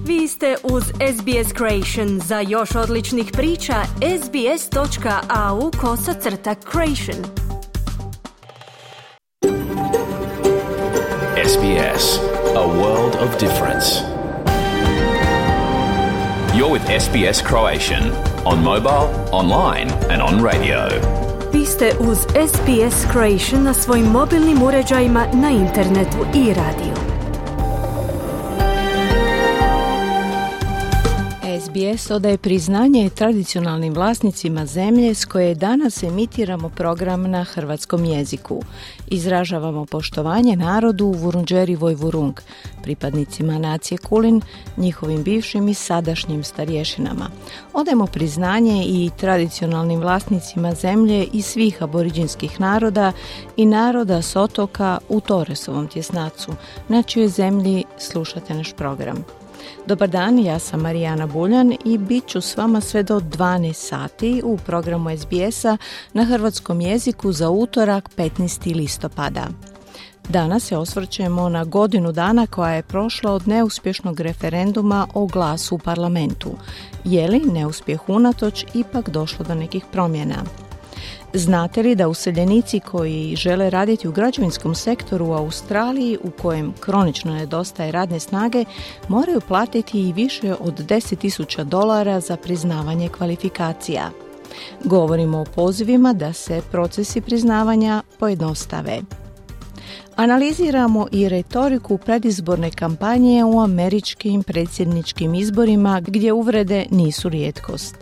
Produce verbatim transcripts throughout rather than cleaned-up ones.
Vi ste uz S B S Creation. Za još odličnih priča, sbs.au kosacrta creation. S B S, a world of difference. You're with S B S Croatian on mobile, online and on radio. Vi ste uz S B S Creation na svojim mobilnim uređajima, na internetu i radiju. S B S odaje priznanje tradicionalnim vlasnicima zemlje s koje danas emitiramo program na hrvatskom jeziku. Izražavamo poštovanje narodu Vurundjeri Vojvurung, pripadnicima nacije Kulin, njihovim bivšim i sadašnjim starješinama. Odajemo priznanje i tradicionalnim vlasnicima zemlje i svih aboriđinskih naroda i naroda s otoka u Torresovom tjesnacu, na čijoj zemlji slušate naš program. Dobar dan, ja sam Marijana Buljan i bit ću s vama sve do dvanaest sati u programu S B S-a na hrvatskom jeziku za utorak petnaestog listopada. Danas se osvrćemo na godinu dana koja je prošla od neuspješnog referenduma o glasu u parlamentu. Je li neuspjeh unatoč ipak došlo do nekih promjena? Znate li da useljenici koji žele raditi u građevinskom sektoru u Australiji, u kojem kronično nedostaje radne snage, moraju platiti i više od deset tisuća dolara za priznavanje kvalifikacija? Govorimo o pozivima da se procesi priznavanja pojednostave. Analiziramo i retoriku predizborne kampanje u američkim predsjedničkim izborima, gdje uvrede nisu rijetkost.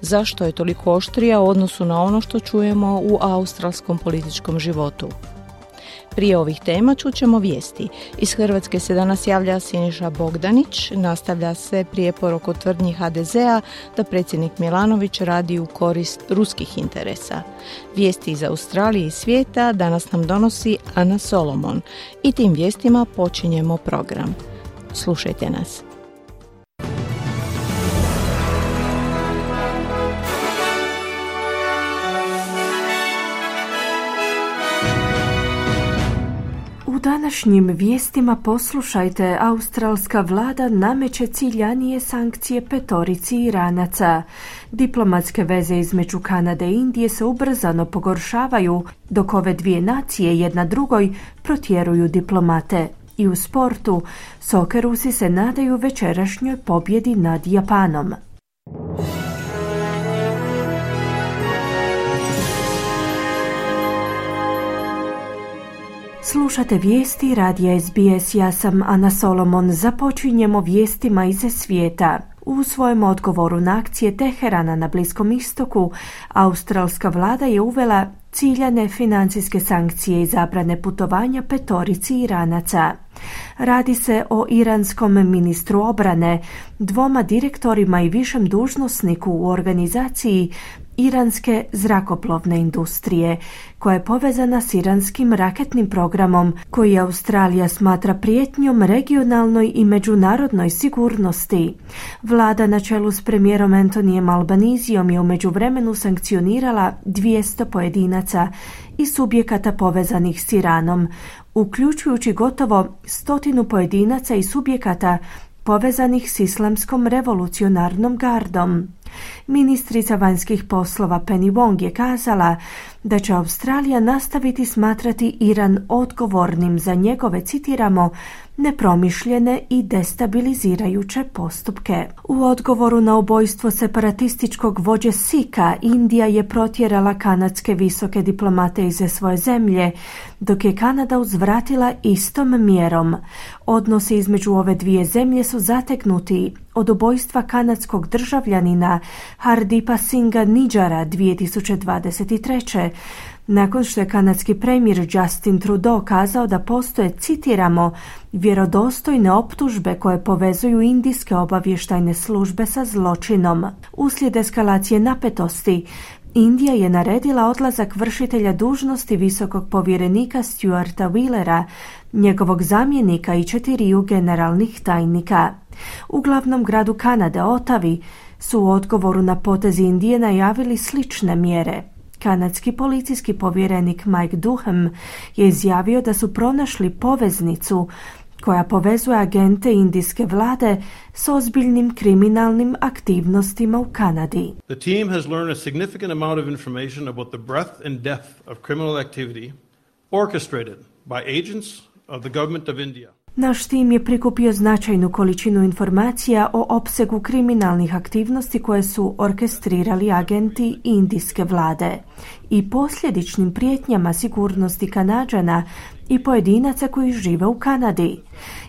Zašto je toliko oštrija u odnosu na ono što čujemo u australskom političkom životu? Prije ovih tema čućemo vijesti. Iz Hrvatske se danas javlja Siniša Bogdanić, nastavlja se prijepor oko tvrdnji H D Z-a da predsjednik Milanović radi u korist ruskih interesa. Vijesti iz Australije i svijeta danas nam donosi Ana Solomon i tim vijestima počinjemo program. Slušajte nas. U današnjim vijestima poslušajte, australska vlada nameće ciljanije sankcije petorici Iranaca. Diplomatske veze između Kanade i Indije se ubrzano pogoršavaju, dok ove dvije nacije jedna drugoj protjeruju diplomate. I u sportu, Sokerusi se nadaju večerašnjoj pobjedi nad Japanom. Slušate vijesti radija S B S, ja sam Ana Solomon. Započinjemo vijestima iz svijeta. U svojem odgovoru na akcije Teherana na Bliskom istoku, australska vlada je uvela ciljane financijske sankcije i zabrane putovanja petorici Iranaca. Radi se o iranskom ministru obrane, dvoma direktorima i višem dužnosniku u organizaciji iranske zrakoplovne industrije, koja je povezana s iranskim raketnim programom, koji Australija smatra prijetnjom regionalnoj i međunarodnoj sigurnosti. Vlada na čelu s premijerom Antonijem Albanizijom je u međuvremenu sankcionirala dvjesto pojedinaca i subjekata povezanih s Iranom, uključujući gotovo stotinu pojedinaca i subjekata povezanih s Islamskom revolucionarnom gardom. Ministrica vanjskih poslova Penny Wong je kazala da će Australija nastaviti smatrati Iran odgovornim za njegove, citiramo, nepromišljene i destabilizirajuće postupke. U odgovoru na ubojstvo separatističkog vođe Sikha, Indija je protjerala kanadske visoke diplomate iz svoje zemlje, dok je Kanada uzvratila istom mjerom. Odnosi između ove dvije zemlje su zategnuti od ubojstva kanadskog državljanina Hardeepa Singha Nijjara dvije tisuće dvadeset treće. Nakon što je kanadski premijer Justin Trudeau kazao da postoje, citiramo, vjerodostojne optužbe koje povezuju indijske obavještajne službe sa zločinom. Uslijed eskalacije napetosti, Indija je naredila odlazak vršitelja dužnosti visokog povjerenika Stuarta Wheelera, njegovog zamjenika i četiriju generalnih tajnika. U glavnom gradu Kanade, Ottawi, su u odgovoru na potez Indije najavili slične mjere. Kanadski policijski povjerenik Mike Duhem je izjavio da su pronašli poveznicu koja povezuje agente indijske vlade s ozbiljnim kriminalnim aktivnostima u Kanadi. The team has learned a significant amount of information about the breadth and depth of criminal activity orchestrated by agents of the government of India. Naš tim je prikupio značajnu količinu informacija o opsegu kriminalnih aktivnosti koje su orkestrirali agenti indijske vlade i posljedičnim prijetnjama sigurnosti Kanađana i pojedinaca koji žive u Kanadi.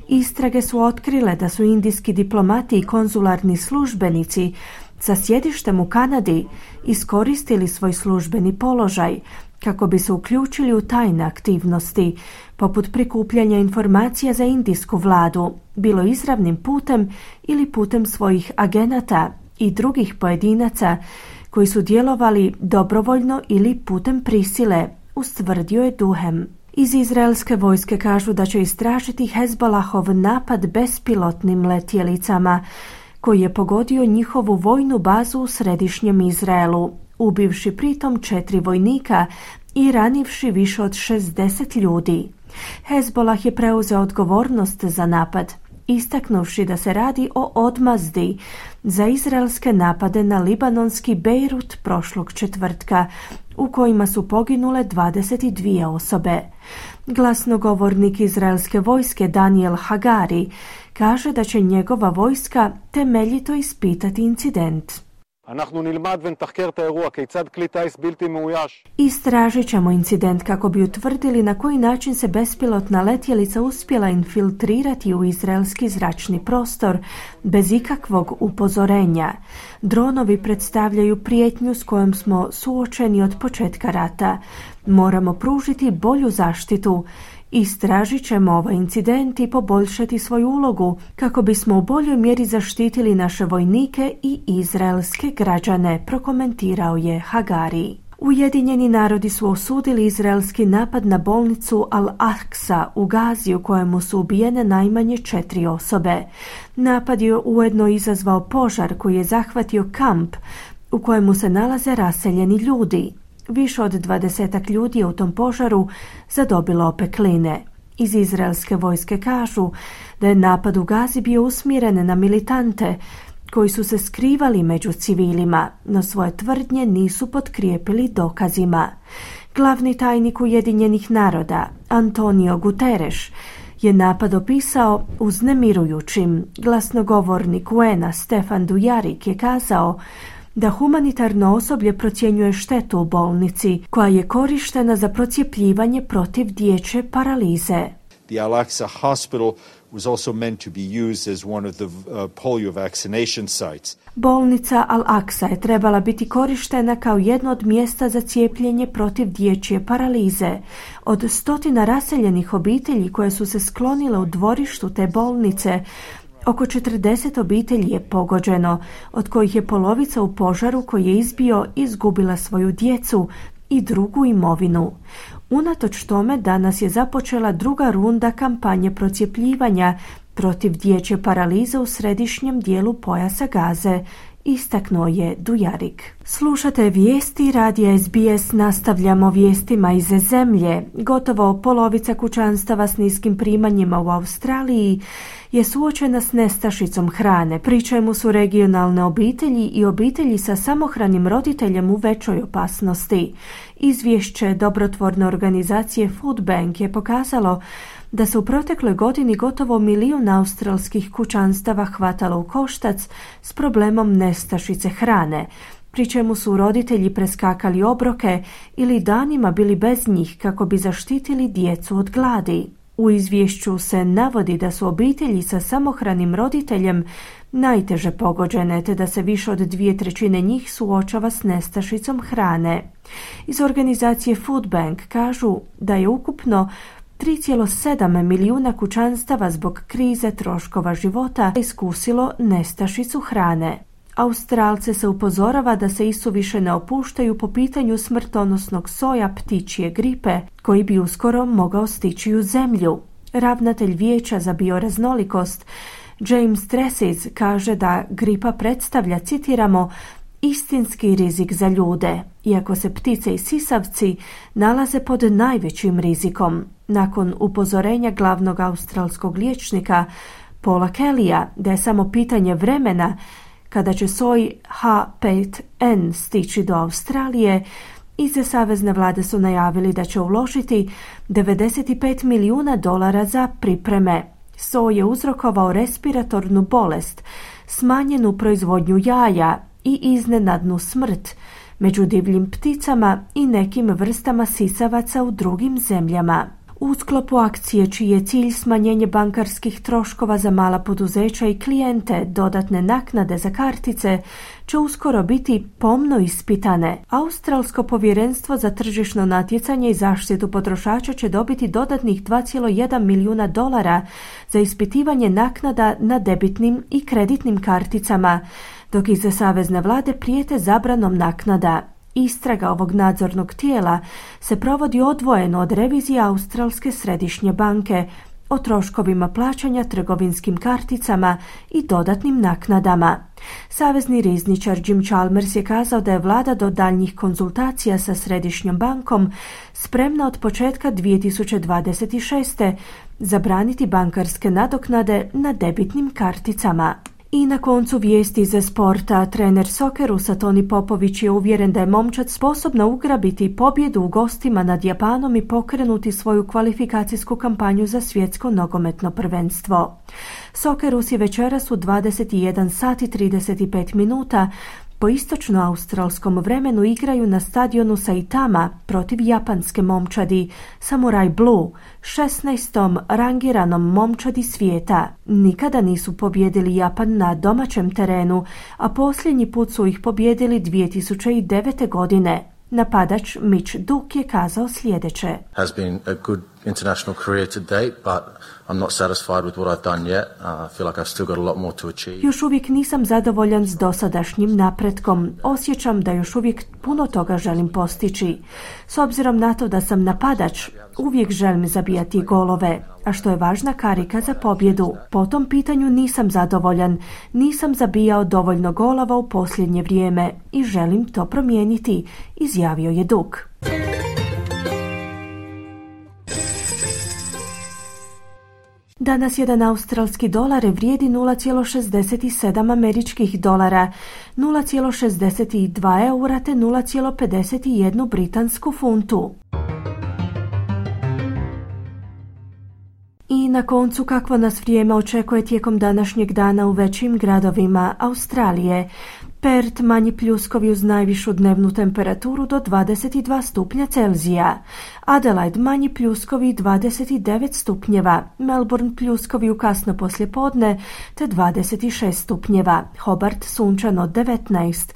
Istrage su otkrile da su indijski diplomati i konzularni službenici sa sjedištem u Kanadi iskoristili svoj službeni položaj kako bi se uključili u tajne aktivnosti, poput prikupljanja informacija za indijsku vladu, bilo izravnim putem ili putem svojih agenata i drugih pojedinaca koji su djelovali dobrovoljno ili putem prisile, ustvrdio je Duhem. Iz izraelske vojske kažu da će istražiti Hezbolahov napad bespilotnim letjelicama koji je pogodio njihovu vojnu bazu u središnjem Izraelu, ubivši pritom četiri vojnika i ranivši više od šezdeset ljudi. Hezbolah je preuzeo odgovornost za napad, istaknuvši da se radi o odmazdi za izraelske napade na libanonski Bejrut prošlog četvrtka, u kojima su poginule dvadeset dvije osobe. Glasnogovornik izraelske vojske Daniel Hagari kaže da će njegova vojska temeljito ispitati incident. Istražit ćemo incident kako bi utvrdili na koji način se bespilotna letjelica uspjela infiltrirati u izraelski zračni prostor bez ikakvog upozorenja. Dronovi predstavljaju prijetnju s kojom smo suočeni od početka rata. Moramo pružiti bolju zaštitu. Istražit ćemo ovaj incident i poboljšati svoju ulogu kako bismo u boljoj mjeri zaštitili naše vojnike i izraelske građane, prokomentirao je Hagari. Ujedinjeni narodi su osudili izraelski napad na bolnicu Al-Aqsa u Gazi u kojemu su ubijene najmanje četiri osobe. Napad je ujedno izazvao požar koji je zahvatio kamp u kojemu se nalaze raseljeni ljudi. Više od dvadesetak ljudi je u tom požaru zadobilo opekline. Iz izraelske vojske kažu da je napad u Gazi bio usmjeren na militante koji su se skrivali među civilima, no svoje tvrdnje nisu potkrijepili dokazima. Glavni tajnik Ujedinjenih naroda, Antonio Guterres, je napad opisao uznemirujućim. Glasnogovornik U N-a Stefan Dujarric je kazao da humanitarno osoblje procjenjuje štetu u bolnici koja je korištena za procjepljivanje protiv dječje paralize. The Al-Aqsa Hospital was also meant to be used as one of the uh, polio vaccination sites. Bolnica Al-Aqsa je trebala biti korištena kao jedno od mjesta za cijepljenje protiv dječje paralize. Od stotina raseljenih obitelji koje su se sklonile u dvorištu te bolnice, oko četrdeset obitelji je pogođeno, od kojih je polovica u požaru koji je izbio izgubila svoju djecu i drugu imovinu. Unatoč tome danas je započela druga runda kampanje procjepljivanja protiv dječje paralize u središnjem dijelu pojasa Gaze, istaknuo je Dujarric. Slušate vijesti radija S B S, nastavljamo vijestima iz zemlje. Gotovo polovica kućanstava s niskim primanjima u Australiji je suočena s nestašicom hrane, pri čemu su regionalne obitelji i obitelji sa samohranim roditeljem u većoj opasnosti. Izvješće dobrotvorne organizacije Food Bank je pokazalo da se u protekloj godini gotovo milijun australskih kućanstava hvatalo u koštac s problemom nestašice hrane, pri čemu su roditelji preskakali obroke ili danima bili bez njih kako bi zaštitili djecu od gladi. U izvješću se navodi da su obitelji sa samohranim roditeljem najteže pogođene, te da se više od dvije trećine njih suočava s nestašicom hrane. Iz organizacije Food Bank kažu da je ukupno tri zarez sedam milijuna kućanstava zbog krize troškova života iskusilo nestašicu hrane. Australce se upozorava da se isuviše ne opuštaju po pitanju smrtonosnog soja ptičje gripe koji bi uskoro mogao stići u zemlju. Ravnatelj Vijeća za bioraznolikost James Tresiz kaže da gripa predstavlja, citiramo, istinski rizik za ljude, iako se ptice i sisavci nalaze pod najvećim rizikom. Nakon upozorenja glavnog australskog liječnika Paula Kellya da je samo pitanje vremena kada će soj H pet N stići do Australije, iz savezne vlade su najavili da će uložiti devedeset pet milijuna dolara za pripreme. Soj je uzrokovao respiratornu bolest, smanjenu proizvodnju jaja i iznenadnu smrt među divljim pticama i nekim vrstama sisavaca u drugim zemljama. U sklopu akcije čiji je cilj smanjenje bankarskih troškova za mala poduzeća i klijente, dodatne naknade za kartice će uskoro biti pomno ispitane. Australsko povjerenstvo za tržišno natjecanje i zaštitu potrošača će dobiti dodatnih dva zarez jedan milijuna dolara za ispitivanje naknada na debitnim i kreditnim karticama, dok iza savezne vlade prijete zabranom naknada. Istraga ovog nadzornog tijela se provodi odvojeno od revizije Australske središnje banke o troškovima plaćanja trgovinskim karticama i dodatnim naknadama. Savezni rizničar Jim Chalmers je kazao da je vlada do daljnjih konzultacija sa središnjom bankom spremna od početka dvije tisuće dvadeset šeste. zabraniti bankarske nadoknade na debitnim karticama. I na koncu vijesti za sporta, trener Sokerusa Toni Popović je uvjeren da je momčad sposobna ugrabiti pobjedu u gostima nad Japanom i pokrenuti svoju kvalifikacijsku kampanju za svjetsko nogometno prvenstvo. Sokerus je večeras u dvadeset jedan sati i trideset pet minuta po istočno-australskom vremenu igraju na stadionu Saitama protiv japanske momčadi Samurai Blue, šesnaestom rangiranom momčadi svijeta. Nikada nisu pobjedili Japan na domaćem terenu, a posljednji put su ih pobjedili dvije tisuće devete. godine. Napadač Mitch Duke je kazao sljedeće. Has been a good international career to date, but I'm not satisfied with what I've done yet. Uh, I feel like I've still got a lot more to achieve. Još uvijek nisam zadovoljan s dosadašnjim napretkom. Osjećam da još uvijek puno toga želim postići. S obzirom na to da sam napadač, uvijek želim zabijati golove, a što je važna karika za pobjedu. Po tom pitanju nisam zadovoljan. Nisam zabijao dovoljno golova u posljednje vrijeme i želim to promijeniti, izjavio je Duke. Danas jedan australski dolar vrijedi nula zarez šezdeset sedam američkih dolara, nula zarez šezdeset dva eura te nula zarez pedeset jedan britansku funtu. I na koncu kakvo nas vrijeme očekuje tijekom današnjeg dana u većim gradovima Australije. Perth manji pljuskovi uz najvišu dnevnu temperaturu do dvadeset dva stupnja Celzija. Adelaide manji pljuskovi dvadeset devet stupnjeva. Melbourne pljuskovi u kasno poslijepodne te dvadeset šest stupnjeva. Hobart sunčano devetnaest.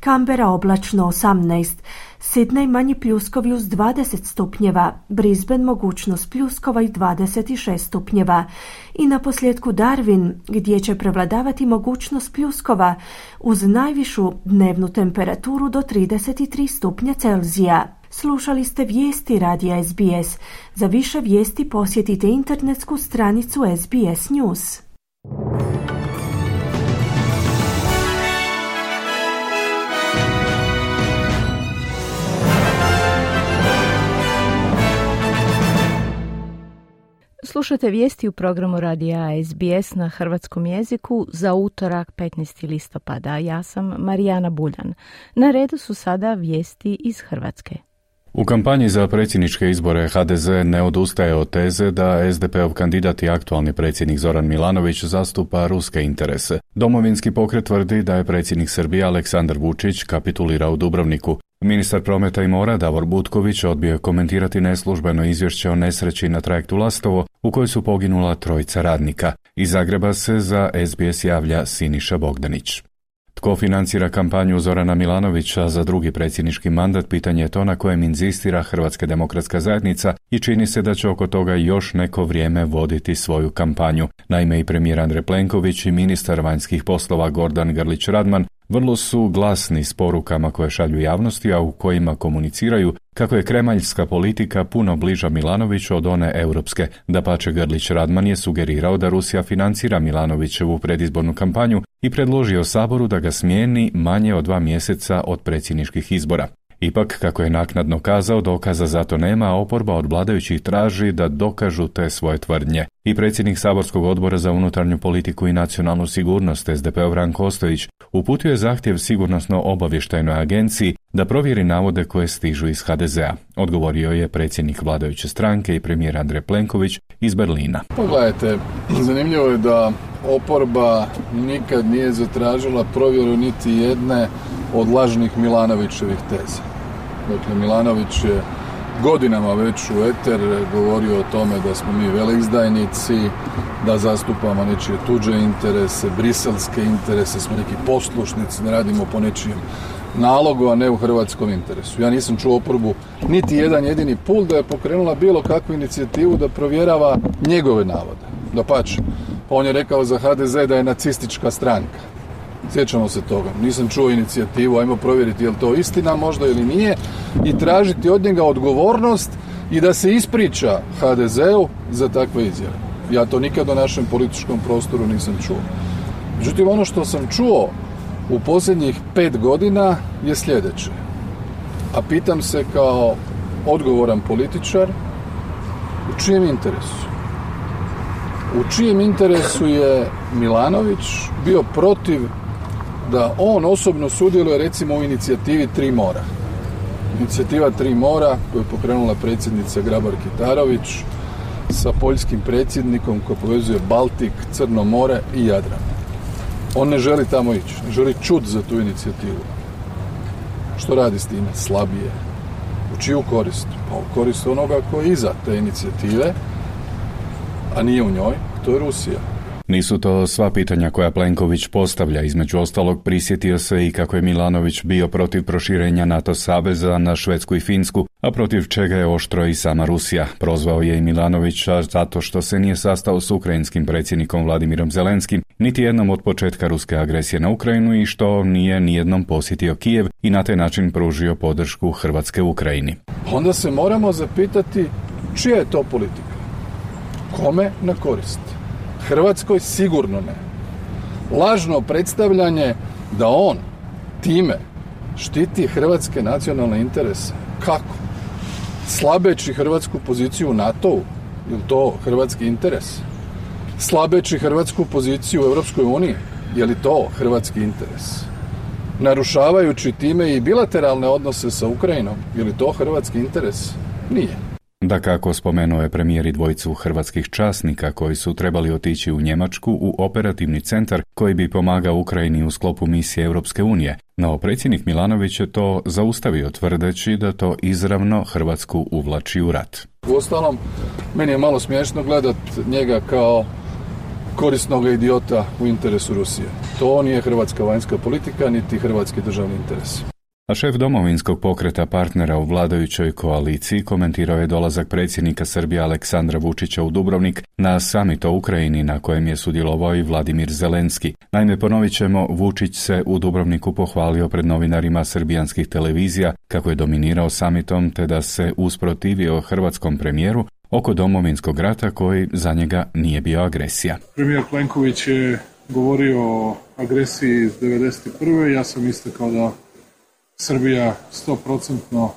Canberra oblačno osamnaest. Sydney manji pljuskovi uz dvadeset stupnjeva, Brisbane mogućnost pljuskova i dvadeset šest stupnjeva. I na posljedku Darwin, gdje će prevladavati mogućnost pljuskova uz najvišu dnevnu temperaturu do trideset tri stupnja Celzija. Slušali ste vijesti radija S B S. Za više vijesti posjetite internetsku stranicu S B S News. Slušate vijesti u programu radija S B S na hrvatskom jeziku za utorak petnaesti listopada. Ja sam Marijana Buljan. Na redu su sada vijesti iz Hrvatske. U kampanji za predsjedničke izbore H D Z ne odustaje od teze da S D P-ov kandidat i aktualni predsjednik Zoran Milanović zastupa ruske interese. Domovinski pokret tvrdi da je predsjednik Srbije Aleksandar Vučić kapitulirao u Dubrovniku. Ministar prometa i mora Davor Butković odbio je komentirati neslužbeno izvješće o nesreći na trajektu Lastovo u kojoj su poginula trojica radnika. Iz Zagreba se za S B S javlja Siniša Bogdanić. Tko financira kampanju Zorana Milanovića za drugi predsjednički mandat, pitanje je to na kojem inzistira Hrvatska demokratska zajednica i čini se da će oko toga još neko vrijeme voditi svoju kampanju. Naime, i premijer Andrej Plenković i ministar vanjskih poslova Gordan Grlić Radman vrlo su glasni s porukama koje šalju javnosti, a u kojima komuniciraju kako je kremaljska politika puno bliža Milanoviću od one europske. Dapače, Grlić Radman je sugerirao da Rusija financira Milanovićevu predizbornu kampanju i predložio Saboru da ga smijeni manje od dva mjeseca od predsjedničkih izbora. Ipak, kako je naknadno kazao, dokaza za to nema, a oporba od vladajućih traži da dokažu te svoje tvrdnje. I predsjednik Saborskog odbora za unutarnju politiku i nacionalnu sigurnost es de pe-ov Ranko Ostojić uputio je zahtjev Sigurnosno-obavještajnoj agenciji da provjeri navode koje stižu iz ha de zea. Odgovorio je predsjednik vladajuće stranke i premijer Andrej Plenković iz Berlina. Pogledajte, zanimljivo je da oporba nikad nije zatražila provjeru niti jedne od lažnih Milanovićevih teza. Dakle, Milanović je godinama već u eter govorio o tome da smo mi veleizdajnici, da zastupamo nečije tuđe interese, briselske interese, smo neki poslušnici, ne radimo po nečijem nalogu, a ne u hrvatskom interesu. Ja nisam čuo oporbu niti jedan jedini put da je pokrenula bilo kakvu inicijativu da provjerava njegove navode. Dapače, on je rekao za ha de ze da je nacistička stranka. Sjećamo se toga. Nisam čuo inicijativu, ajmo provjeriti je li to istina možda ili nije i tražiti od njega odgovornost i da se ispriča ha de zeu za takve izjave. Ja to nikad u našem političkom prostoru nisam čuo. Međutim, ono što sam čuo u posljednjih pet godina je sljedeće. A pitam se kao odgovoran političar, u čijem interesu? U čijem interesu je Milanović bio protiv da on osobno sudjeluje recimo u inicijativi Tri mora. Inicijativa Tri mora koju je pokrenula predsjednica Grabar-Kitarović sa poljskim predsjednikom koji povezuje Baltik, Crno more i Jadran. On ne želi tamo ići, ne želi čut za tu inicijativu. Što radi s time? Slabije. U čiju korist? Pa u korist onoga koji je iza te inicijative, a nije u njoj, to je Rusija. Nisu to sva pitanja koja Plenković postavlja, između ostalog prisjetio se i kako je Milanović bio protiv proširenja NATO saveza na Švedsku i Finsku, a protiv čega je oštro i sama Rusija. Prozvao je i Milanovića zato što se nije sastao s ukrajinskim predsjednikom Vladimirom Zelenskim, niti jednom od početka ruske agresije na Ukrajinu i što nije nijednom posjetio Kijev i na taj način pružio podršku Hrvatske Ukrajini. Onda se moramo zapitati čija je to politika? Kome na korist? Hrvatskoj sigurno ne. Lažno predstavljanje da on time štiti hrvatske nacionalne interese. Kako? Slabeći hrvatsku poziciju u NATO-u? Je li to hrvatski interes? Slabeći hrvatsku poziciju u Europskoj uniji? Je li to hrvatski interes? Narušavajući time i bilateralne odnose sa Ukrajinom? Je li to hrvatski interes? Nije. Dakako, spomenuo je premijer i dvojicu hrvatskih časnika koji su trebali otići u Njemačku u operativni centar koji bi pomagao Ukrajini u sklopu misije Europske unije, no predsjednik Milanović je to zaustavio tvrdeći da to izravno Hrvatsku uvlači u rat. Uostalom, meni je malo smiješno gledat njega kao korisnog idiota u interesu Rusije. To nije hrvatska vanjska politika, niti hrvatski državni interes. A šef domovinskog pokreta partnera u vladajućoj koaliciji komentirao je dolazak predsjednika Srbije Aleksandra Vučića u Dubrovnik na summit o Ukrajini na kojem je sudjelovao i Vladimir Zelenski. Naime, ponovit ćemo, Vučić se u Dubrovniku pohvalio pred novinarima srbijanskih televizija kako je dominirao summitom te da se usprotivio hrvatskom premijeru oko domovinskog rata koji za njega nije bio agresija. Premijer Plenković je govorio o agresiji iz devedeset prve. Ja sam istakao da Srbija sto procentno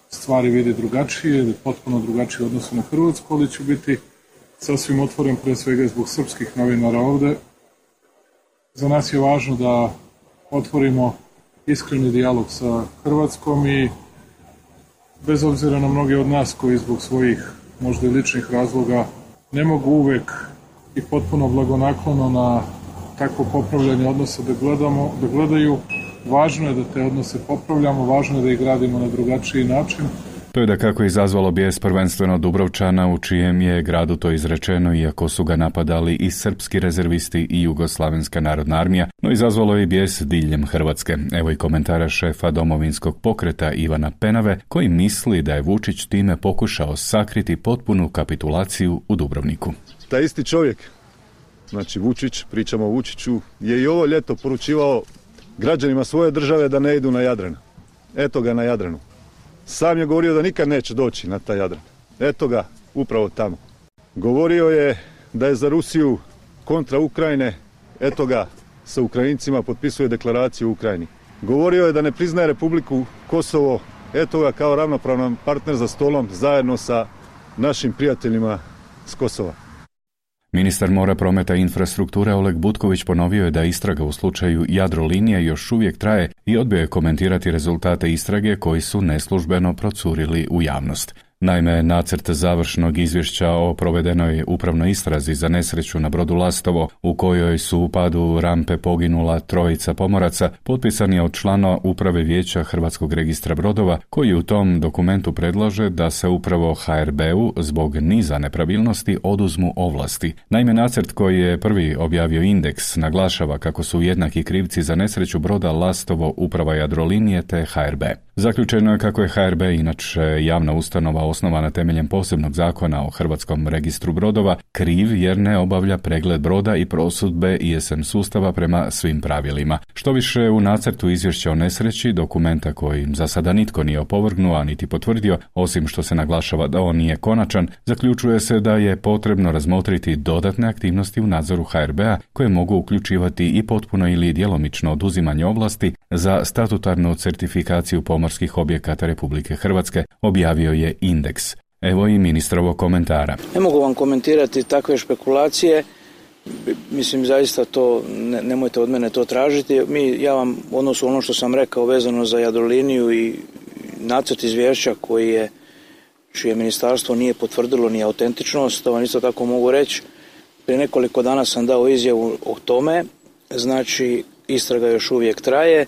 stvari vidi drugačije ili potpuno drugačije u odnosu na Hrvatsku, ali ću biti sasvim otvoren pre svega zbog srpskih novinara ovde. Za nas je važno da otvorimo iskreni dijalog sa Hrvatskom i bez obzira na mnoge od nas koji zbog svojih možda i ličnih razloga ne mogu uvek i potpuno blagonaklono na takvo popravljanje odnosa da gledamo, da gledaju. Važno je da te odnose popravljamo, važno je da ih gradimo na drugačiji način. To je da kako izazvalo bijes prvenstveno Dubrovčana, u čijem je gradu to izrečeno, iako su ga napadali i srpski rezervisti i Jugoslavenska narodna armija, no izazvalo je bijes diljem Hrvatske. Evo i komentara šefa domovinskog pokreta Ivana Penave, koji misli da je Vučić time pokušao sakriti potpunu kapitulaciju u Dubrovniku. Taj isti čovjek, znači Vučić, pričamo o Vučiću, je i ovo ljeto poručivao građanima svoje države da ne idu na Jadran. Eto ga na Jadranu. Sam je govorio da nikad neće doći na taj Jadran. Eto ga, upravo tamo. Govorio je da je za Rusiju kontra Ukrajine, eto ga, sa Ukrajincima potpisuje deklaraciju u Ukrajini. Govorio je da ne priznaje Republiku Kosovo, eto ga kao ravnopravan partner za stolom zajedno sa našim prijateljima s Kosova. Ministar mora, prometa i infrastrukture Oleg Butković ponovio je da istraga u slučaju Jadrolinije još uvijek traje i odbio je komentirati rezultate istrage koji su neslužbeno procurili u javnost. Naime, nacrt završnog izvješća o provedenoj upravnoj istrazi za nesreću na brodu Lastovo, u kojoj su u padu rampe poginula trojica pomoraca, potpisan je od člana uprave vijeća Hrvatskog registra brodova, koji u tom dokumentu predlaže da se upravo ha er be-u zbog niza nepravilnosti oduzmu ovlasti. Naime, nacrt koji je prvi objavio Indeks naglašava kako su jednaki krivci za nesreću broda Lastovo uprava Jadrolinije te ha er be. Zaključeno je kako je ha er be, inače javna ustanova osnovana temeljem posebnog zakona o Hrvatskom registru brodova, kriv jer ne obavlja pregled broda i prosudbe i es em sustava prema svim pravilima. Što više, u nacrtu izvješća o nesreći, dokumenta koji za sada nitko nije opovrgnuo, a niti potvrdio, osim što se naglašava da on nije konačan, zaključuje se da je potrebno razmotriti dodatne aktivnosti u nadzoru ha er be-a koje mogu uključivati i potpuno ili djelomično oduzimanje ovlasti za statutarnu certifikaciju pomorskih objekata Republike Hrvatske, objavio je Indeks. Evo i ministrovog komentara. Ne mogu vam komentirati takve špekulacije, mislim zaista to, ne, nemojte od mene to tražiti. Mi, ja vam u odnosu ono što sam rekao vezano za Jadroliniju i nacrt izvješća koji je, čije ministarstvo nije potvrdilo ni autentičnost, to vam isto tako mogu reći. Prije nekoliko dana sam dao izjavu o tome, znači istraga još uvijek traje.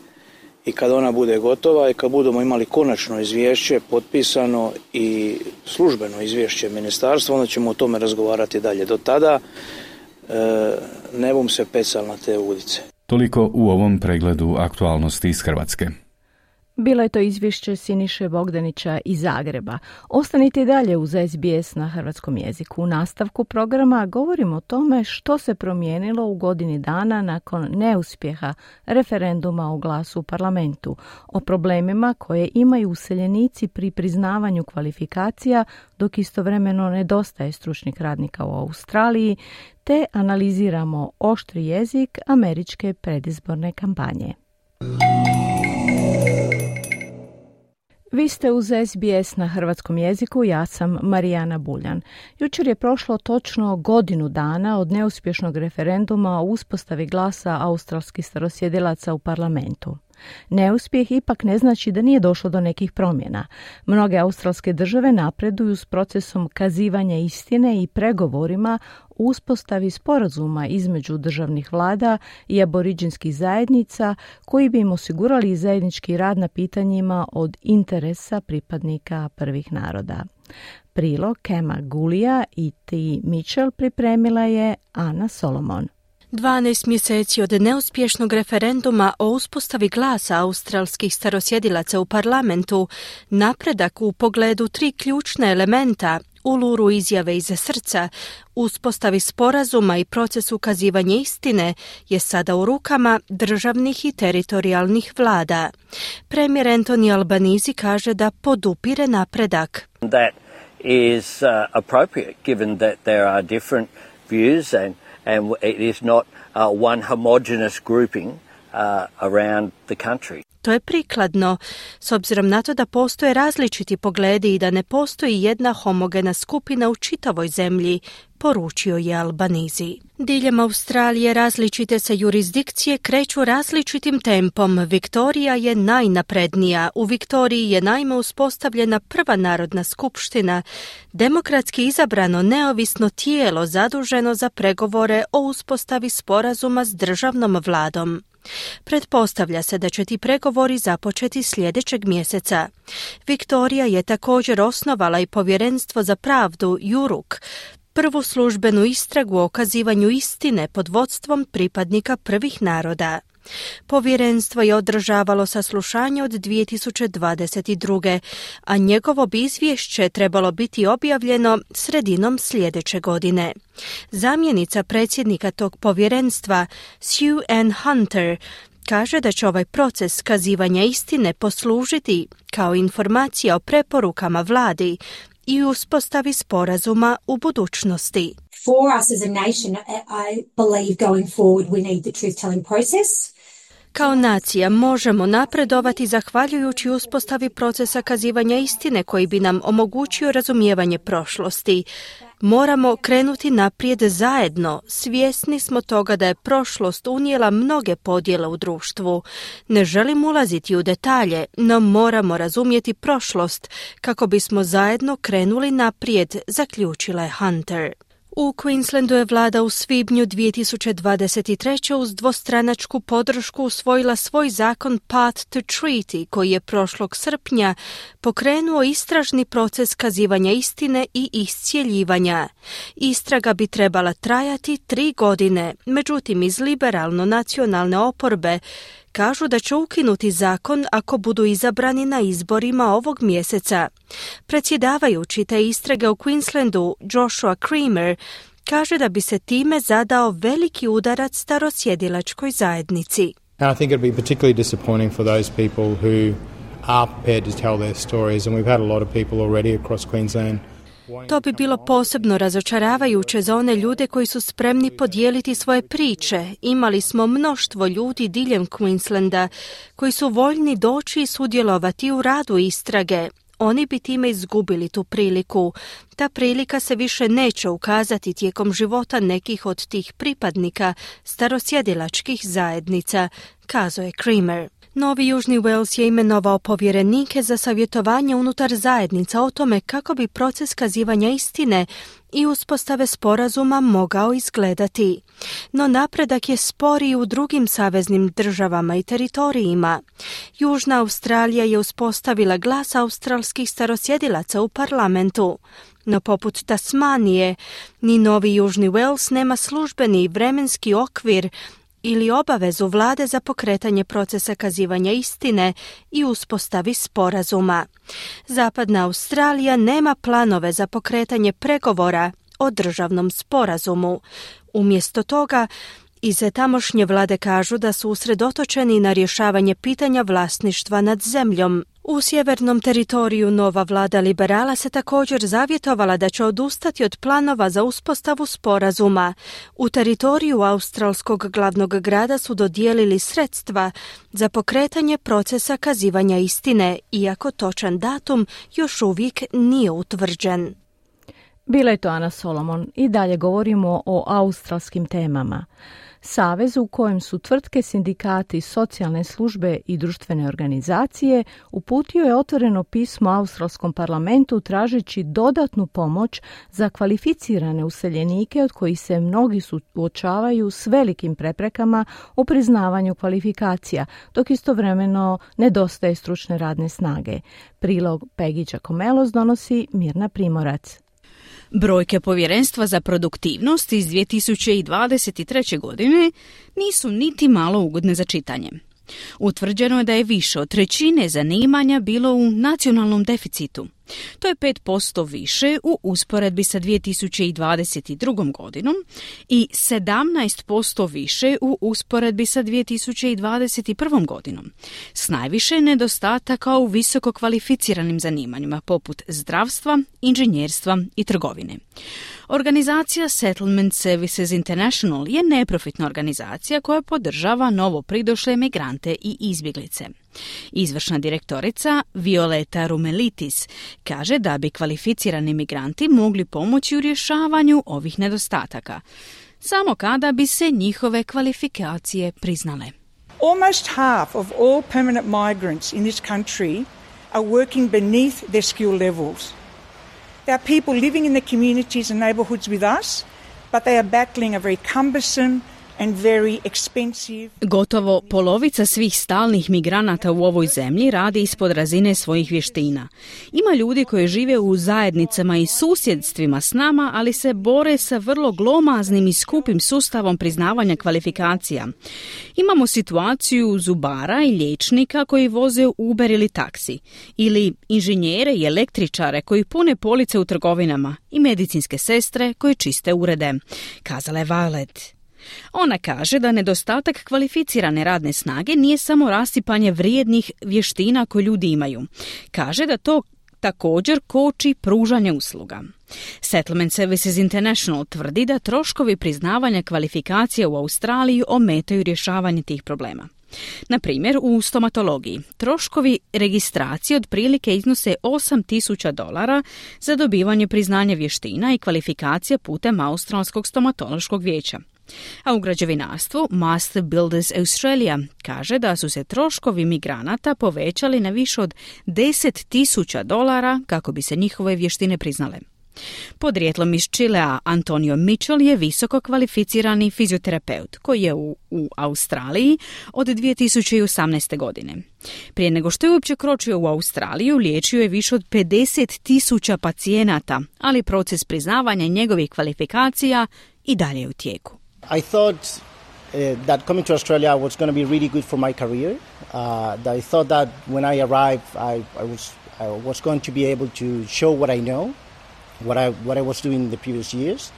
I kada ona bude gotova i kad budemo imali konačno izvješće, potpisano i službeno izvješće ministarstva, onda ćemo o tome razgovarati dalje. Do tada e, ne bum se pecal na te udice. Toliko u ovom pregledu aktualnosti iz Hrvatske. Bilo je to izvješće Siniše Bogdanića iz Zagreba. Ostanite i dalje uz es be es na hrvatskom jeziku. U nastavku programa govorimo o tome što se promijenilo u godini dana nakon neuspjeha referenduma o glasu u parlamentu, o problemima koje imaju useljenici pri priznavanju kvalifikacija, dok istovremeno nedostaje stručnih radnika u Australiji, te analiziramo oštri jezik američke predizborne kampanje. Vi ste uz es be es na hrvatskom jeziku, ja sam Marijana Buljan. Jučer je prošlo točno godinu dana od neuspješnog referenduma o uspostavi glasa australskih starosjedilaca u parlamentu. Neuspjeh ipak ne znači da nije došlo do nekih promjena. Mnoge australske države napreduju s procesom kazivanja istine i pregovorima o uspostavi sporazuma između državnih vlada i aboriđinskih zajednica koji bi im osigurali zajednički rad na pitanjima od interesa pripadnika prvih naroda. Prilog Kema Gulija i T. Mitchell pripremila je Ana Solomon. dvanaest mjeseci od neuspješnog referenduma o uspostavi glasa australskih starosjedilaca u parlamentu, napredak u pogledu tri ključna elementa, uluru izjave iza srca, uspostavi sporazuma i proces ukazivanja istine je sada u rukama državnih i teritorijalnih vlada. Premijer Anthony Albanese kaže da podupire napredak. That is uh, appropriate given that there are different views and and it is not uh, one homogeneous grouping uh, around the country. To je prikladno, s obzirom na to da postoje različiti pogledi i da ne postoji jedna homogena skupina u čitavoj zemlji, poručio je Albanese. Diljem Australije različite se jurisdikcije kreću različitim tempom. Viktorija je najnaprednija. U Viktoriji je naime uspostavljena prva narodna skupština, demokratski izabrano neovisno tijelo zaduženo za pregovore o uspostavi sporazuma s državnom vladom. Pretpostavlja se da će ti pregovori započeti sljedećeg mjeseca. Viktorija je također osnovala i povjerenstvo za pravdu Juruk, prvu službenu istragu o okazivanju istine pod vodstvom pripadnika prvih naroda. Povjerenstvo je održavalo saslušanje od dvije tisuće dvadeset druge. a njegovo bi izvješće trebalo biti objavljeno sredinom sljedeće godine. Zamjenica predsjednika tog povjerenstva, Sue Ann Hunter, kaže da će ovaj proces kazivanja istine poslužiti kao informacija o preporukama vladi i uspostavi sporazuma u budućnosti. For us as a nation, I believe going forward we need the truth-telling process. Kao nacija možemo napredovati zahvaljujući uspostavi procesa kazivanja istine koji bi nam omogućio razumijevanje prošlosti. Moramo krenuti naprijed zajedno. Svjesni smo toga da je prošlost unijela mnoge podjele u društvu. Ne želim ulaziti u detalje, no moramo razumjeti prošlost kako bismo zajedno krenuli naprijed, zaključila je Hunter. U Queenslandu je vlada u svibnju dvije tisuće dvadeset treće uz dvostranačku podršku usvojila svoj zakon Path to Treaty, koji je prošlog srpnja pokrenuo istražni proces kazivanja istine i iscjeljivanja. Istraga bi trebala trajati tri godine, međutim iz liberalno-nacionalne oporbe kažu da će ukinuti zakon ako budu izabrani na izborima ovog mjeseca. Predsjedavajući te istrage u Queenslandu, Joshua Creamer, kaže da bi se time zadao veliki udarac starosjedilačkoj zajednici. And I think it would be particularly disappointing for those people who are prepared to tell their stories, and we've had a lot of people already across Queensland. To bi bilo posebno razočaravajuće za one ljude koji su spremni podijeliti svoje priče. Imali smo mnoštvo ljudi diljem Queenslanda koji su voljni doći i sudjelovati u radu istrage. Oni bi time izgubili tu priliku. Ta prilika se više neće ukazati tijekom života nekih od tih pripadnika starosjedilačkih zajednica, kazao je Creamer. Novi Južni Wales je imenovao povjerenike za savjetovanje unutar zajednica o tome kako bi proces kazivanja istine i uspostave sporazuma mogao izgledati. No napredak je sporiji u drugim saveznim državama i teritorijima. Južna Australija je uspostavila glas australskih starosjedilaca u parlamentu. No poput Tasmanije, ni Novi Južni Wales nema službeni vremenski okvir ili obavezu vlade za pokretanje procesa kazivanja istine i uspostavi sporazuma. Zapadna Australija nema planove za pokretanje pregovora o državnom sporazumu. Umjesto toga, iz tamošnje vlade kažu da su usredotočeni na rješavanje pitanja vlasništva nad zemljom. U sjevernom teritoriju nova vlada liberala se također zavjetovala da će odustati od planova za uspostavu sporazuma. U teritoriju australskog glavnog grada su dodijelili sredstva za pokretanje procesa kazivanja istine, iako točan datum još uvijek nije utvrđen. Bila je to Ana Solomon i dalje govorimo o australskim temama. Savez u kojem su tvrtke, sindikati, socijalne službe i društvene organizacije uputio je otvoreno pismo australskom parlamentu tražeći dodatnu pomoć za kvalificirane useljenike od kojih se mnogi suočavaju s velikim preprekama u priznavanju kvalifikacija, dok istovremeno nedostaje stručne radne snage. Prilog Peggy Giacomelos donosi Mirna Primorac. Brojke Povjerenstva za produktivnost iz dvije tisuće dvadeset treće. godine nisu niti malo ugodne za čitanje. Utvrđeno je da je više od trećine zanimanja bilo u nacionalnom deficitu. To je pet posto više u usporedbi sa dvije tisuće dvadeset drugom. godinom i sedamnaest posto više u usporedbi sa dvije tisuće dvadeset prvom. godinom. S najviše nedostataka u visoko kvalificiranim zanimanjima poput zdravstva, inženjerstva i trgovine. Organizacija Settlement Services International je neprofitna organizacija koja podržava novo pridošle migrante i izbjeglice. Izvršna direktorica Violeta Rumelitis kaže da bi kvalificirani migranti mogli pomoći u rješavanju ovih nedostataka, samo kada bi se njihove kvalifikacije priznale. Almost half of all permanent migrants in this country are working beneath their skill levels. There are people living in the communities and neighbourhoods with us, but they are battling a very cumbersome and very expensive. Gotovo polovica svih stalnih migranata u ovoj zemlji radi ispod razine svojih vještina. Ima ljudi koji žive u zajednicama i susjedstvima s nama, ali se bore sa vrlo glomaznim i skupim sustavom priznavanja kvalifikacija. Imamo situaciju zubara i liječnika koji voze Uber ili taksi, ili inženjere i električare koji pune police u trgovinama i medicinske sestre koje čiste urede, kazala je Violet. Ona kaže da nedostatak kvalificirane radne snage nije samo rasipanje vrijednih vještina koje ljudi imaju. Kaže da to također koči pružanje usluga. Settlement Services International tvrdi da troškovi priznavanja kvalifikacija u Australiji ometaju rješavanje tih problema. Na primjer, u stomatologiji troškovi registracije otprilike iznose osam tisuća dolara za dobivanje priznanja vještina i kvalifikacija putem Australskog stomatološkog vijeća. A u građevinarstvu Master Builders Australia kaže da su se troškovi migranata povećali na više od deset tisuća dolara kako bi se njihove vještine priznale. Podrijetlom iz Čilea Antonio Mitchell je visoko kvalificirani fizioterapeut koji je u, u Australiji od dvije tisuće osamnaeste. godine. Prije nego što je uopće kročio u Australiju, liječio je više od pedeset tisuća pacijenata, ali proces priznavanja njegovih kvalifikacija i dalje je u tijeku. I thought uh, that coming to Australia was going to be really good for my career. Uh, that I thought that when I arrived, I, I was I was going to be able to show what I know, what I what I was doing in the previous years.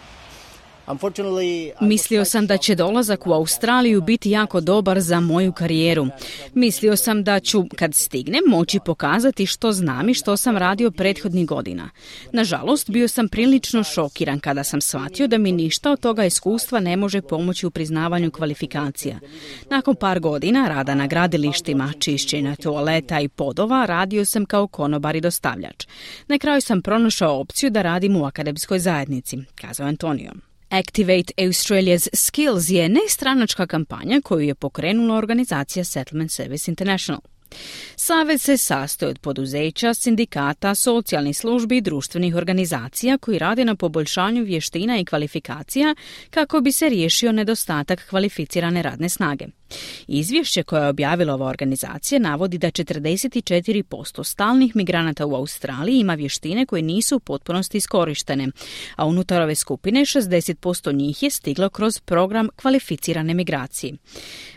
Mislio sam da će dolazak u Australiju biti jako dobar za moju karijeru. Mislio sam da ću, kad stignem, moći pokazati što znam i što sam radio prethodnih godina. Nažalost, bio sam prilično šokiran kada sam shvatio da mi ništa od toga iskustva ne može pomoći u priznavanju kvalifikacija. Nakon par godina rada na gradilištima, čišćenja toaleta i podova, radio sam kao konobar i dostavljač. Na kraju sam pronašao opciju da radim u akademskoj zajednici, kazao Antonio. Activate Australia's Skills je nestranačka kampanja koju je pokrenula organizacija Settlement Service International. Savez se sastoji od poduzeća, sindikata, socijalnih službi i društvenih organizacija koji rade na poboljšanju vještina i kvalifikacija kako bi se riješio nedostatak kvalificirane radne snage. Izvješće koje je objavila ova organizacija navodi da četrdeset četiri posto stalnih migranata u Australiji ima vještine koje nisu u potpunosti iskorištene, a unutar ove skupine šezdeset posto njih je stiglo kroz program kvalificirane migracije.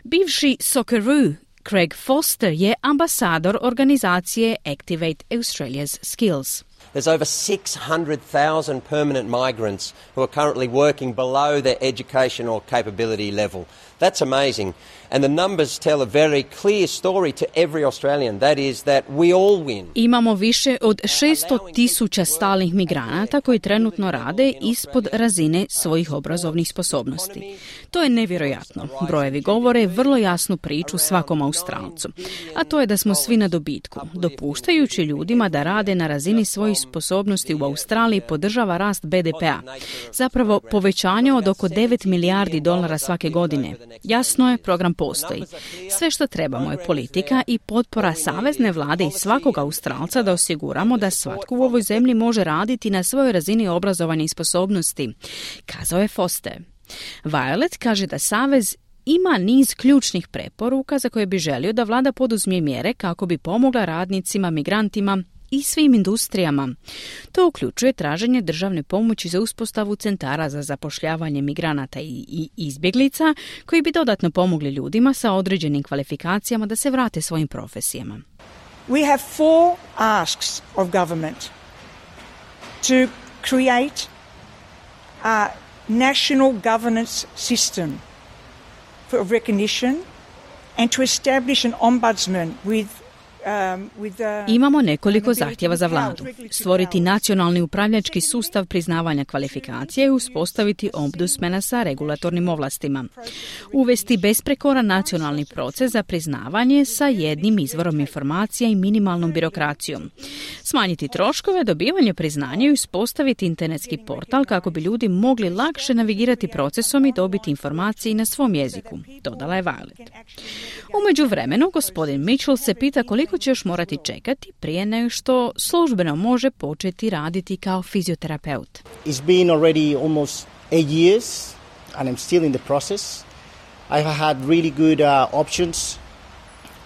Bivši Socceroo Craig Foster je ambasador organizacije Activate Australia's Skills. There's over six hundred thousand permanent migrants who are currently working below their educational capability level. That's amazing. And the numbers tell a very clear story to every Australian. That is that we all win. Imamo više od šesto tisuća stalnih migranata koji trenutno rade ispod razine svojih obrazovnih sposobnosti. To je nevjerojatno. Brojevi govore vrlo jasnu priču svakom Australcu. A to je da smo svi na dobitku. Dopuštajući ljudima da rade na razini svojih sposobnosti u Australiji podržava rast be de pe-a. Zapravo povećanje od oko devet milijardi dolara svake godine. Jasno je, program postoji. Sve što trebamo je politika i potpora savezne vlade i svakog Australca da osiguramo da svatko u ovoj zemlji može raditi na svojoj razini obrazovanja i sposobnosti, kazao je Foster. Violet kaže da savez ima niz ključnih preporuka za koje bi želio da vlada poduzme mjere kako bi pomogla radnicima, migrantima i svim industrijama. To uključuje traženje državne pomoći za uspostavu centara za zapošljavanje migranata i, i izbjeglica koji bi dodatno pomogli ljudima sa određenim kvalifikacijama da se vrate svojim profesijama. We have four asks of government to create a national governance system for recognition and to establish an ombudsman with Imamo nekoliko zahtjeva za vladu. Stvoriti nacionalni upravljački sustav priznavanja kvalifikacije i uspostaviti ombudsmana sa regulatornim ovlastima. Uvesti besprekoran nacionalni proces za priznavanje sa jednim izvorom informacija i minimalnom birokracijom. Smanjiti troškove, dobivanje priznanja i uspostaviti internetski portal kako bi ljudi mogli lakše navigirati procesom i dobiti informacije na svom jeziku, dodala je Violet. U međuvremenu, gospodin Mitchell se pita koliko će još morati čekati prije nego što službeno može početi raditi kao fizioterapeut. It's been already almost eight years and I'm still in the process. I have had really good uh, options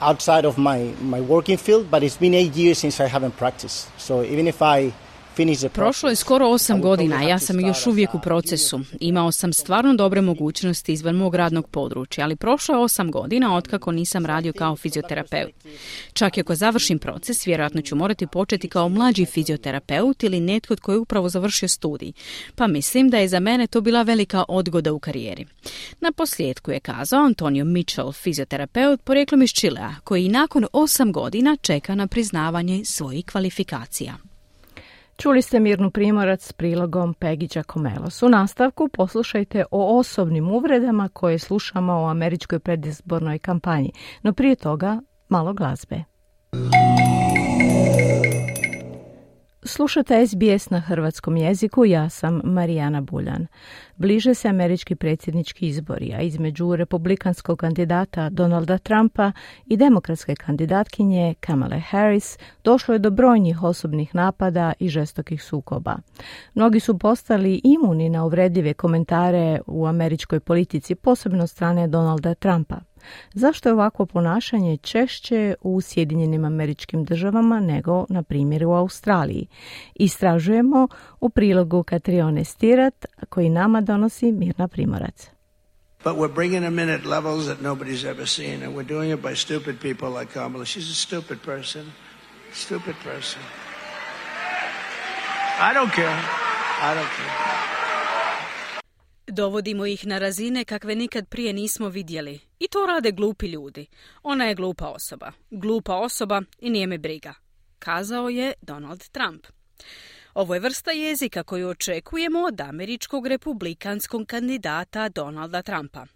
outside of my, my working field, but it's been eight years since I haven't practiced. So even if I Prošlo je skoro osam godina, a ja sam još uvijek u procesu. Imao sam stvarno dobre mogućnosti izvan mog radnog područja, ali prošlo je osam godina otkako nisam radio kao fizioterapeut. Čak i ako završim proces, vjerojatno ću morati početi kao mlađi fizioterapeut ili netko tko je upravo završio studij. Pa mislim da je za mene to bila velika odgoda u karijeri. Na posljedku je kazao Antonio Mitchell, fizioterapeut porijeklom iz Čilea, koji i nakon osam godina čeka na priznavanje svojih kvalifikacija. Čuli ste Mirnu Primorac s prilogom Peggy Giacomelos. U nastavku poslušajte o osobnim uvredama koje slušamo u američkoj predizbornoj kampanji. No prije toga malo glazbe. Slušate S B S na hrvatskom jeziku, ja sam Marijana Buljan. Bliže se američki predsjednički izbori, a između republikanskog kandidata Donalda Trumpa i demokratske kandidatkinje Kamale Harris došlo je do brojnih osobnih napada i žestokih sukoba. Mnogi su postali imuni na uvredljive komentare u američkoj politici, posebno od strane Donalda Trumpa. Zašto je ovakvo ponašanje češće u Sjedinjenim Američkim Državama nego, na primjer, u Australiji? Istražujemo u prilogu Katrione Stirat, koji nama donosi Mirna Primorac. But we're bringing them in at levels that nobody's ever seen, and we're doing it by stupid people like Kamala. She's a stupid person. Stupid person. I don't care. I don't care. Dovodimo ih na razine kakve nikad prije nismo vidjeli. I to rade glupi ljudi. Ona je glupa osoba. Glupa osoba i nije me briga. Kazao je Donald Trump. Ovo je vrsta jezika koju očekujemo od američkog republikanskog kandidata Donalda Trumpa.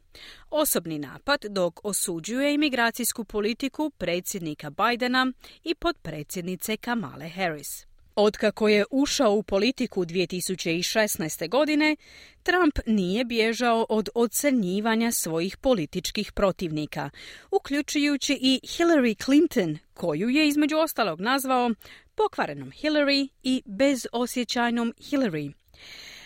Osobni napad dok osuđuje imigracijsku politiku predsjednika Bidena i potpredsjednice Kamale Harris. Otkako je ušao u politiku dvije tisuće šesnaeste. godine, Trump nije bježao od ocrnjivanja svojih političkih protivnika, uključujući i Hillary Clinton, koju je između ostalog nazvao pokvarenom Hillary i bezosjećajnom Hillary.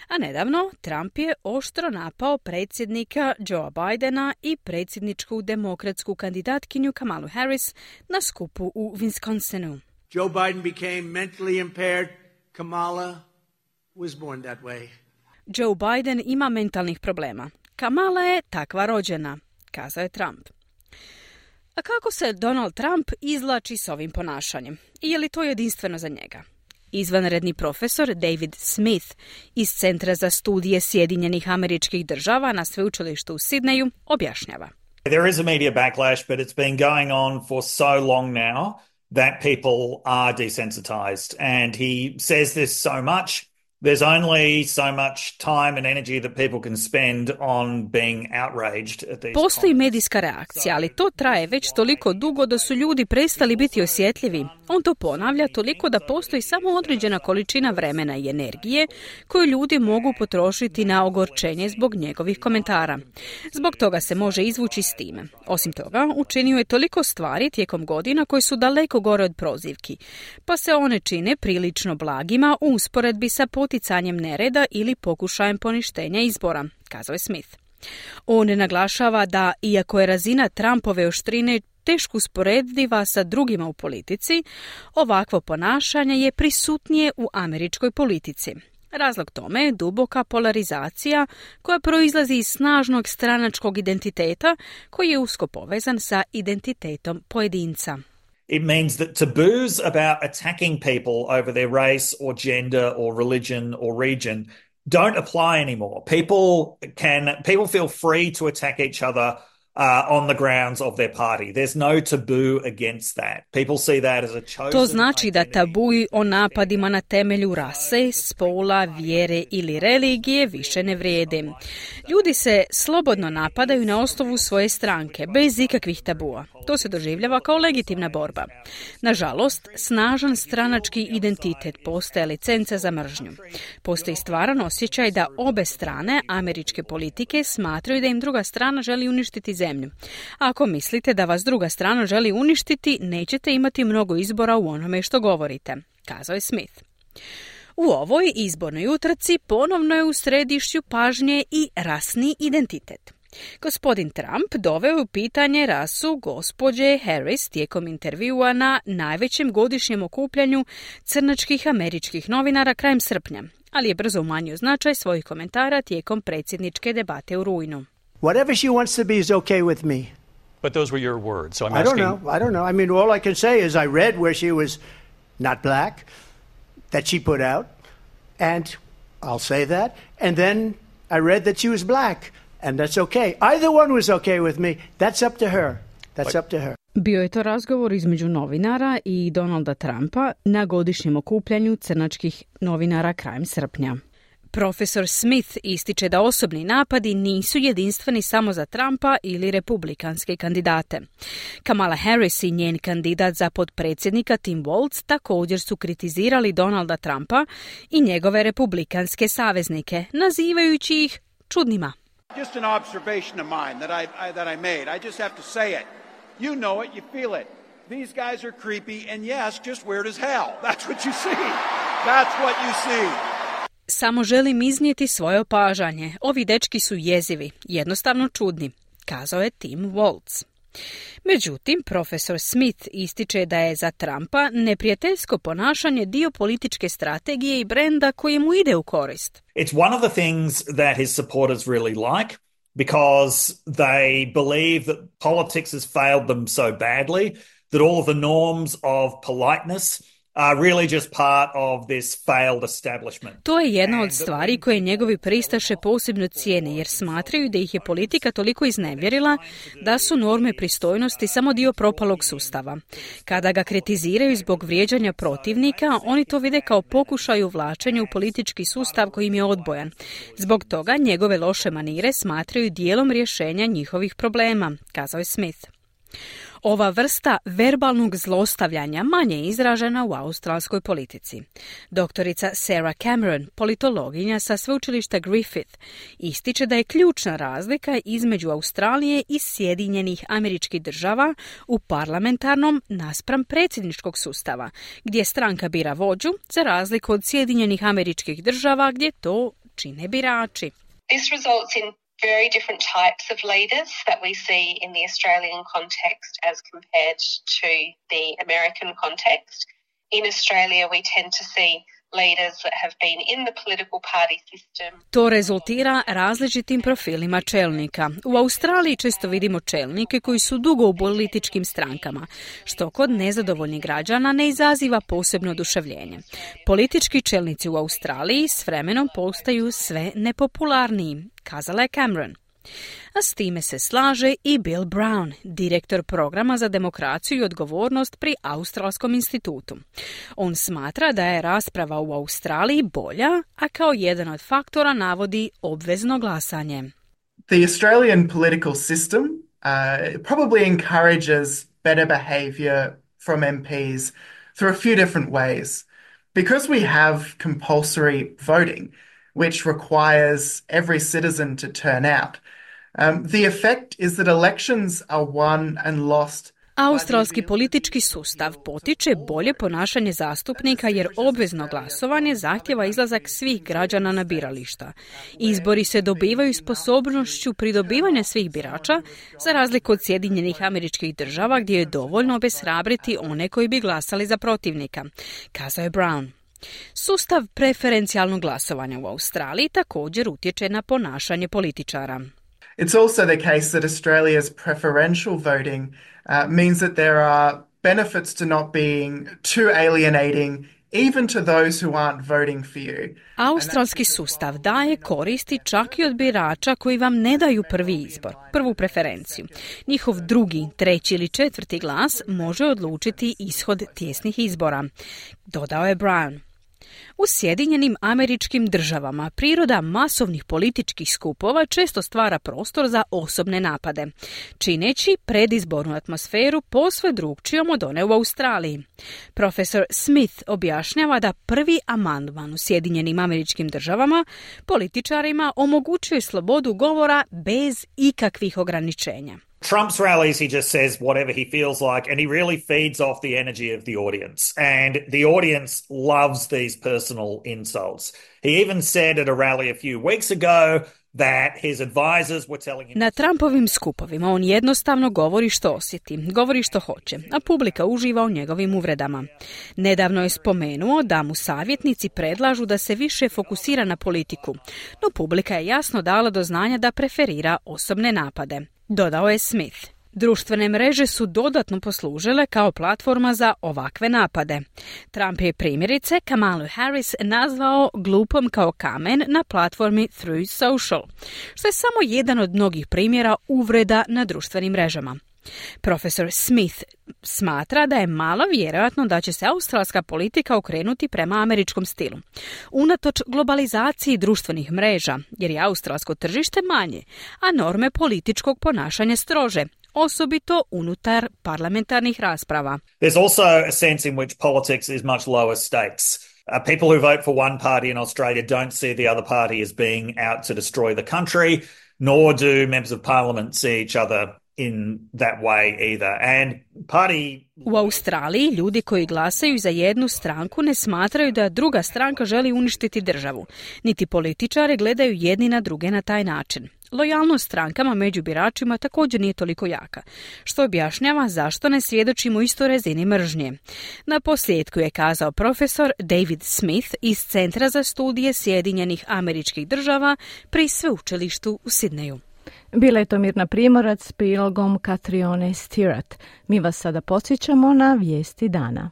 A nedavno Trump je oštro napao predsjednika Joea Bidena i predsjedničku demokratsku kandidatkinju Kamalu Harris na skupu u Wisconsinu. Joe Biden became mentally impaired. Kamala was born that way. Joe Biden ima mentalnih problema. Kamala je takva rođena, kazao je Trump. A kako se Donald Trump izvlači s ovim ponašanjem? I je li to jedinstveno za njega? Izvanredni profesor David Smith iz Centra za studije Sjedinjenih Američkih Država na sveučilištu u Sidneju objašnjava. There is a media backlash, but it's been going on for so long now that people are desensitized. And he says this so much, there's only so much time and energy that people can spend on being outraged at these. Postoji medijska reakcija, ali to traje već toliko dugo da su ljudi prestali biti osjetljivi. On to ponavlja toliko da postoji samo određena količina vremena i energije koju ljudi mogu potrošiti na ogorčenje zbog njegovih komentara. Zbog toga se može izvući s time. Osim toga, učinio je toliko stvari tijekom godina koje su daleko gore od prozivki, pa se one čine prilično blagima u usporedbi sa poticanjem nereda ili pokušajem poništenja izbora, kazao je Smith. On naglašava da, iako je razina Trumpove oštrine teško usporediva sa drugima u politici, ovakvo ponašanje je prisutnije u američkoj politici. Razlog tome je duboka polarizacija koja proizlazi iz snažnog stranačkog identiteta koji je usko povezan sa identitetom pojedinca. It means that taboos about attacking people over their race or gender or religion or region don't apply anymore. People can people feel free to attack each other Uh, on the grounds of their party. There's no taboo against that. People see that as a chosen. To znači da tabuji o napadima na temelju rase, spola, vjere ili religije više ne vrijede. Ljudi se slobodno napadaju na osnovu svoje stranke, bez ikakvih tabua. To se doživljava kao legitimna borba. Nažalost, snažan stranački identitet postaje licenca za mržnju. Postoji stvaran osjećaj da obe strane američke politike smatraju da im druga strana želi uništiti zemlju. Ako mislite da vas druga strana želi uništiti, nećete imati mnogo izbora u onome što govorite, kazao je Smith. U ovoj izbornoj utrci ponovno je u središću pažnje i rasni identitet. Gospodin Trump doveo u pitanje rasu gospođe Harris tijekom intervjua na najvećem godišnjem okupljanju crnačkih američkih novinara krajem srpnja, ali je brzo umanjio značaj svojih komentara tijekom predsjedničke debate u rujnu. Whatever she wants to be is okay with me. But those were your words, so I'm I don't asking... know, I don't know. I mean, all I can say is I read where she was not black, that she put out, and I'll say that, and then I read that she was black, and that's okay. Either one was okay with me. That's up to her. That's up to her. Bio je to razgovor između novinara i Donalda Trumpa na godišnjem okupljanju crnačkih novinara krajem srpnja. Profesor Smith ističe da osobni napadi nisu jedinstveni samo za Trumpa ili republikanske kandidate. Kamala Harris i njen kandidat za potpredsjednika Tim Walz također su kritizirali Donalda Trumpa i njegove republikanske saveznike, nazivajući ih čudnima. Just an observation of mine that I, I that I made. I just have to say it. You know it, you feel it. These guys are creepy and yes, just weird as hell. That's what you see. That's what you see. Samo želim iznijeti svoje opažanje. Ovi dečki su jezivi, jednostavno čudni, kazao je Tim Walz. Međutim, profesor Smith ističe da je za Trumpa neprijateljsko ponašanje dio političke strategije i brenda koji mu ide u korist. It's one of the things that his supporters really like because they believe that politics has failed them so badly that all of the norms of politeness are really just part of this failed establishment. To je jedna od stvari koje njegovi pristaše posebno cijene, jer smatraju da ih je politika toliko iznevjerila da su norme pristojnosti samo dio propalog sustava. Kada ga kritiziraju zbog vrijeđanja protivnika, oni to vide kao pokušaj uvlačenja u politički sustav koji im je odbojan. Zbog toga njegove loše manire smatraju dijelom rješenja njihovih problema, kazao je Smith. Ova vrsta verbalnog zlostavljanja manje je izražena u australskoj politici. Doktorica Sarah Cameron, politologinja sa sveučilišta Griffith, ističe da je ključna razlika između Australije i Sjedinjenih Američkih Država u parlamentarnom naspram predsjedničkog sustava, gdje stranka bira vođu, za razliku od Sjedinjenih Američkih Država gdje to čine birači. This results in very different types of leaders that we see in the Australian context as compared to the American context. In Australia, we tend to see leaders that have been in the political party system. To rezultira različitim profilima čelnika. U Australiji često vidimo čelnike koji su dugo u političkim strankama, što kod nezadovoljnih građana ne izaziva posebno oduševljenje. Politički čelnici u Australiji s vremenom postaju sve nepopularniji, kazala je Cameron. A s time se slaže i Bill Brown, direktor programa za demokraciju i odgovornost pri Australskom institutu. On smatra da je rasprava u Australiji bolja, a kao jedan od faktora navodi obvezno glasanje. The Australian political system uh, probably encourages better behaviour from M Ps through a few different ways. Because we have compulsory voting, which requires every citizen to turn out, Um, the effect is that elections are won and lost. Australski politički sustav potiče bolje ponašanje zastupnika jer obvezno glasovanje zahtjeva izlazak svih građana na birališta. Izbori se dobivaju sposobnošću pridobivanja svih birača, za razliku od Sjedinjenih Američkih Država gdje je dovoljno obeshrabriti one koji bi glasali za protivnika, kazao je Brown. Sustav preferencijalnog glasovanja u Australiji također utječe na ponašanje političara. It's also the case that Australia's preferential voting uh, means that there are benefits to not being too alienating even to those who aren't voting for you. Australski sustav daje koristi čak i od birača koji vam ne daju prvi izbor, prvu preferenciju. Njihov drugi, treći ili četvrti glas može odlučiti ishod tijesnih izbora, dodao je Brown. U Sjedinjenim Američkim Državama priroda masovnih političkih skupova često stvara prostor za osobne napade, čineći predizbornu atmosferu posve drukčijom od one u Australiji. Profesor Smith objašnjava da prvi amandman u Sjedinjenim Američkim Državama političarima omogućuje slobodu govora bez ikakvih ograničenja. Trump's rallies, he just says whatever he feels like, and he really feeds off the energy of the audience. And the audience loves these personal insults. He even said at a rally a few weeks ago, that his advisors were telling him... Na Trumpovim skupovima on jednostavno govori što osjeti, govori što hoće, a publika uživa u njegovim uvredama. Nedavno je spomenuo da mu savjetnici predlažu da se više fokusira na politiku, no publika je jasno dala do znanja da preferira osobne napade. Dodao je Smith. Društvene mreže su dodatno poslužile kao platforma za ovakve napade. Trump je primjerice Kamalu Harris nazvao glupom kao kamen na platformi Truth Social, što je samo jedan od mnogih primjera uvreda na društvenim mrežama. Profesor Smith smatra da je malo vjerojatno da će se australska politika okrenuti prema američkom stilu. Unatoč globalizaciji društvenih mreža, jer je australsko tržište manje, a norme političkog ponašanja strože, osobito unutar parlamentarnih rasprava. There's also a sense in which politics is much lower stakes. Uh, people who vote for one party in Australia don't see the other party as being out to destroy the country, nor do members of parliament see each other in that way either. And party... U Australiji ljudi koji glasaju za jednu stranku ne smatraju da druga stranka želi uništiti državu, niti političari gledaju jedni na druge na taj način. Lojalnost strankama među biračima također nije toliko jaka, što objašnjava zašto ne svjedočimo istoj razini mržnje. Na posljedku je kazao profesor David Smith iz Centra za studije Sjedinjenih Američkih Država pri sveučilištu u Sidneju. Bila je to Mirna Primorac s prilogom Katrione Stirat. Mi vas sada podsjećamo na vijesti dana.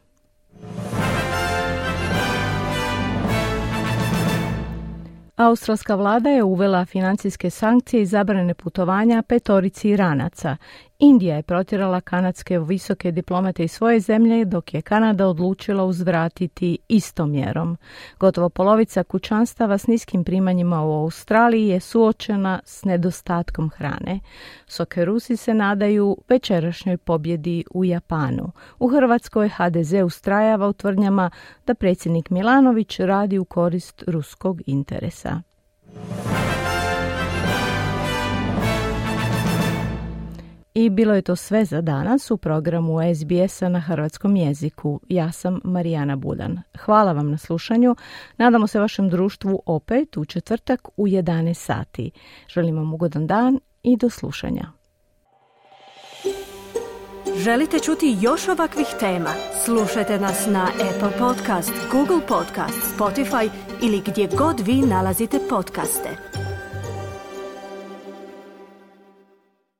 Australska vlada je uvela financijske sankcije i zabrane putovanja petorici Iranaca. Indija je protjerala kanadske visoke diplomate iz svoje zemlje, dok je Kanada odlučila uzvratiti istom mjerom. Gotovo polovica kućanstava s niskim primanjima u Australiji je suočena s nedostatkom hrane. Sokerusi se nadaju večerašnjoj pobjedi u Japanu. U Hrvatskoj ha de ze ustrajava u tvrdnjama da predsjednik Milanović radi u korist ruskog interesa. I bilo je to sve za danas u programu es be esa na hrvatskom jeziku. Ja sam Marijana Budan. Hvala vam na slušanju. Nadamo se vašem društvu opet u četvrtak u jedanaest sati. Želim vam ugodan dan i do slušanja. Želite čuti još ovakvih tema? Slušajte nas na Apple Podcast, Google Podcast, Spotify ili gdje god vi nalazite podcaste.